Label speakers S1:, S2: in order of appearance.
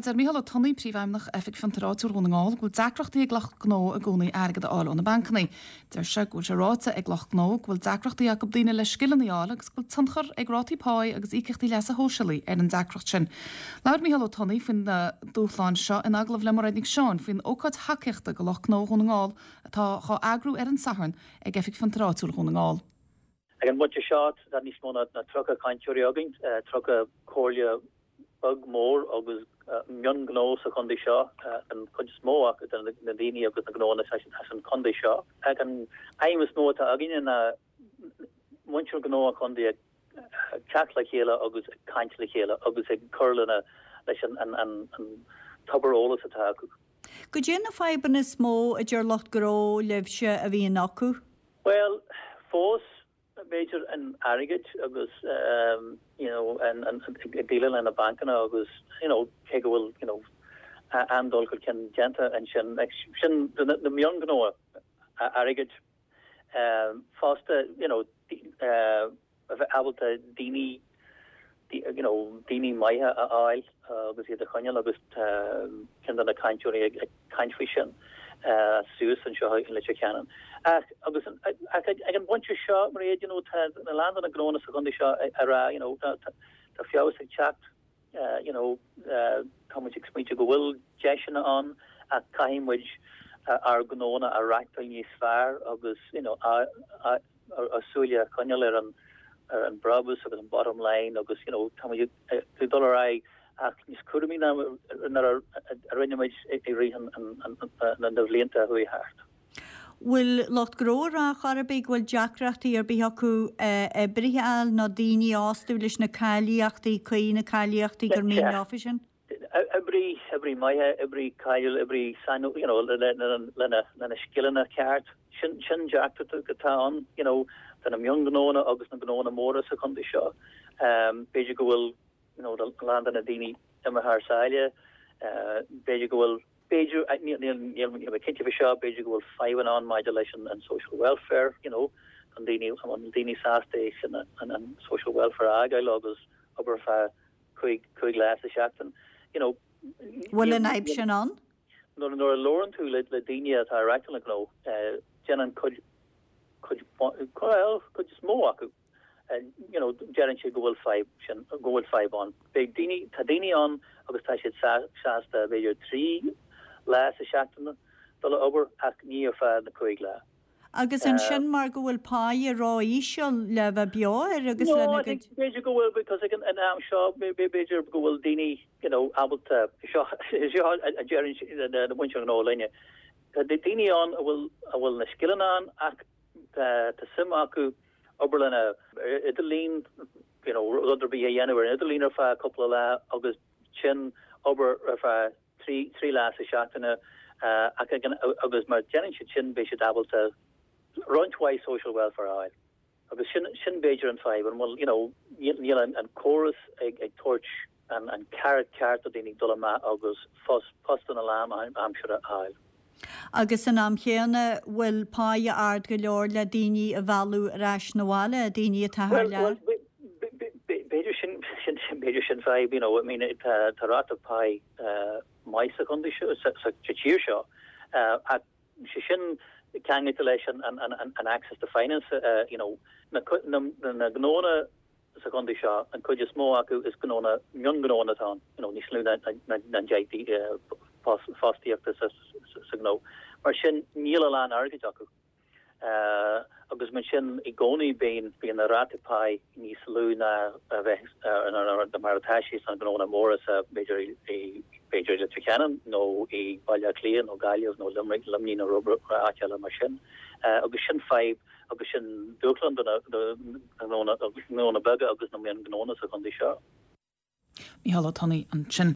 S1: Deir Micheál Ó Tonnaigh, Príomhfheidhmeannach Oifig Fiontair Áitiúil Dhún na nGall, go bhfuil deacrachtaí ag lucht gnó i gcónaí airgead a fháil ó na bancanna. Deir sé go bhfuil sé ráite ag lucht gnó go bhfuil deacrachtaí acu daoine le scileanna a fháil agus go bhfuil tionchar ag rátaí páí agus íocaíochtaí leasa shóisialaigh ar an deacracht sin. Labhair Micheál Ó Tonnaigh faoi na dúshláin seo in agallamh le Mairéad Nic Seáin faoin ócáid thacaíochta do lucht gnó Dhún na nGall atá dhá eagrú ar an Satharn ag Oifig Fiontair Áitiúil Dhún na nGall.
S2: Ag an bpointe seo tá níos mó ná 30 cainteoirí againn, 30 comhairle beag, mór agus mionghnó sa chontae seo, an chuid is mó acu de na daoine agus na gnóanna as an chontae seo. Ach an aidhm is mó atá againne ná muintir gnó an chontae ag teacht le chéile agus ag caint le chéile agus ag cur lena leis an tobar eolais atá acu.
S3: Goidé na fadhbanna is mó a deir lucht gnó libhse a bhíonn acu?
S2: Bhuel, fós, b'fhéidir an airgead agus you know an ag déileáil le na bancanna agus you know cé go bhfuil you know an-dul chun cinn déanta ansin, like sin do na mionghnóanna airgead fosta you know a bheith ábalta daoine you know daoine maithe a fháil agus iad a choinneáil agus tá ceann de na cainteoirí ag caint faoi sin suas anseo i Leitir Ceanainn. Ach agus ach ag an bpointe seo Mairéad you know tá a lán de na gnóanna sa chontae seo ag rá you know tá tá feabhas ag teacht you know tá muid ag smaointiú go bhfuil deiseanna ann ach caithfidh muid ár ngnóanna a reachtáil níos fearr agus you know ár súile a choinneáil ar an ar an brabús agus an bottom line agus you know tá muid ag dul ar aghaidh ach níos cúramaí ná nuair a rinne muid i rith na bhlianta a chuaigh thart.
S3: Bhfuil lucht gnó ag rá chor ar bith go bhfuil deacrachtaí ar bith acu oibrithe a fháil nó daoine a fhostú leis na cáilíochtaí cuí, na cáilíochtaí gur mian leofa sin?
S2: Oibrí, oibrí maithe, oibrí cáiliúil, oibrí sainiúil, you know, lena, lena scileanna ceart. Sin, sin deacracht atá ann, you know, do na mionghnóanna agus na gnóanna móra sa chontae seo. B'fhéidir go bhfuil, you know, a lán de na daoine imithe thar sáile, b'fhéidir go bhfuil, B'fhéidir, níl mé cinnte faoi seo, b'fhéidir go bhfuil fadhbanna ann maidir leis an social welfare, you know, an daoine, an bhfuil daoine sásta é sin, an social welfare a fhágáil agus obair feadh 5 lá sa seachtain, you know.
S3: Bhfuil an fhadhb sin ann?
S2: Nuair a labhrann tú le daoine atá ag reachtáil na gnó, déanann cuid, cuid, bhuel, cuid is mó acu, you know, deireann siad go bhfuil fadhb sin, go bhfuil fadhb ann. Beidh daoine, tá daoine ann agus tá siad sásta b'fhéidir 3 lá sa seachtain dul a obair ach ní ar feadh na 5 lá.
S3: Agus ansin mar go bhfuil páighe ró-íseal le bheith beo air agus
S2: lena gcuid. No, I think b'fhéidir go bhfuil because ag an am seo b'fhéidir go bhfuil daoine you know ábalta, seo seo a deireann na muintir gnó linne. Tá daoine ann a bhfuil a bhfuil na scileanna ann ach tá suim acu obair lena idirlíon, you know, rud ar bith a dhéanamh ar an idirlíon ar feadh cúpla lá agus sin obair ar feadh 3 lá sa seachtaine ach agus mar déanann siad sin beidh siad ábalta roinnt mhaith social welfare a fháil. Agus sin sin b'fhéidir an fadhb, an bhfuil, you know, níl an córas ag ag tabhairt an an carrot ceart do daoine dul amach agus postanna lánaimseartha a fháil.
S3: Agus san am chéanna, bhfuil páighe ard go leor le daoine a mhealladh ar ais 'na bhaile, daoine atá thar lear?
S2: Bhuel, b'fhéidir sin, b'fhéidir sin fadhb, you know, I mean, tá ráta páí maith sa chontae seo, sa tír seo, ach sé sin ceangailte leis an access to finance, you know, na gnónna sa chontae seo, an chuid is mó acu is gnónna, mionghnónna atá ann, you know, níos lú ná 10 fostaíochta sa ghnó. Mar sin, níl a lán airgid acu. Agus mar sin, i gcónaí bíonn, bíonn na rátaí páí níos lú ná a bheith, mar atá sé sna gnónna móra sa, b'fhéidir i, b'fhéidir i Leitir Ceanainn nó i Baile Átha Cliath nó Gaillimh nó Luimnigh nó áit eile mar sin. Agus sin fadhb agus sin dúshlán do na gnónna beaga agus na mionghnónna sa chontae seo.
S1: Mícheál Ó Tonnaigh ansin.